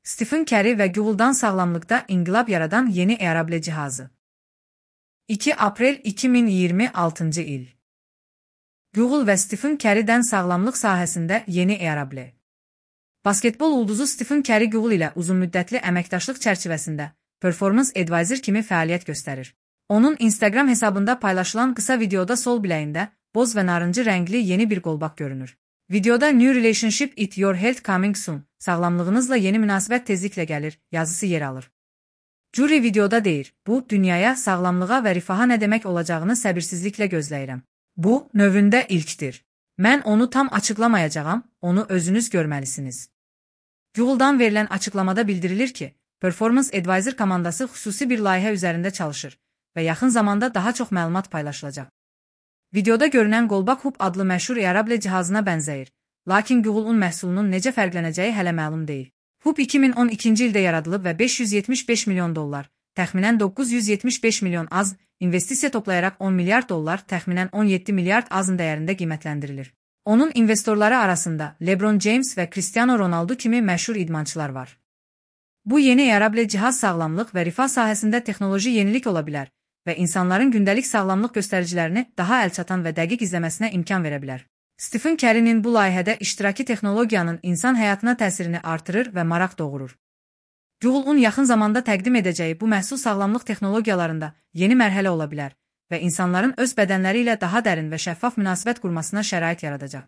Stephen Curry və Google'dan sağlamlıqda inqilab yaradan yeni Wearable cihazı. 2 aprel 2026 il. Google və Stephen Curry'dən sağlamlıq sahəsində yeni Wearable. Basketbol ulduzu Stephen Curry Google ilə uzunmüddətli əməkdaşlıq çərçivəsində Performance Advisor kimi fəaliyyət göstərir. Onun Instagram hesabında paylaşılan qısa videoda sol biləyində boz və narıncı rəngli yeni bir qolbaq görünür. Videoda New Relationship It Your Health Coming Soon, sağlamlığınızla yeni münasibət tezliklə gəlir, yazısı yer alır. Jury videoda deyir, bu, dünyaya, sağlamlığa və rifaha nə demək olacağını səbirsizliklə gözləyirəm. Bu, növündə ilkdir. Mən onu tam açıqlamayacağam, onu özünüz görməlisiniz. Google'dan verilən açıqlamada bildirilir ki, Performance Advisor komandası xüsusi bir layihə üzərində çalışır və yaxın zamanda daha çox məlumat paylaşılacaq. Videoda görünən qolbaq Hoop adlı məşhur Wearable cihazına bənzəyir, lakin Google'un məhsulunun necə fərqlənəcəyi hələ məlum deyil. Hoop 2012-ci ildə yaradılıb və $575 milyon, təxminən 975 milyon az, investisiya toplayaraq 10 milyard dollar, təxminən 17 milyard azın dəyərində qiymətləndirilir. Onun investorları arasında LeBron James və Cristiano Ronaldo kimi məşhur idmançılar var. Bu yeni Wearable cihaz sağlamlıq və rifah sahəsində texnoloji yenilik ola bilər və insanların gündəlik sağlamlıq göstəricilərini daha əlçatan və dəqiq izləməsinə imkan verə bilər. Stephen Curry'nin bu layihədə iştiraki texnologiyanın insan həyatına təsirini artırır və maraq doğurur. Google'un yaxın zamanda təqdim edəcəyi bu məhsul sağlamlıq texnologiyalarında yeni mərhələ ola bilər və insanların öz bədənləri ilə daha dərin və şəffaf münasibət qurmasına şərait yaradacaq.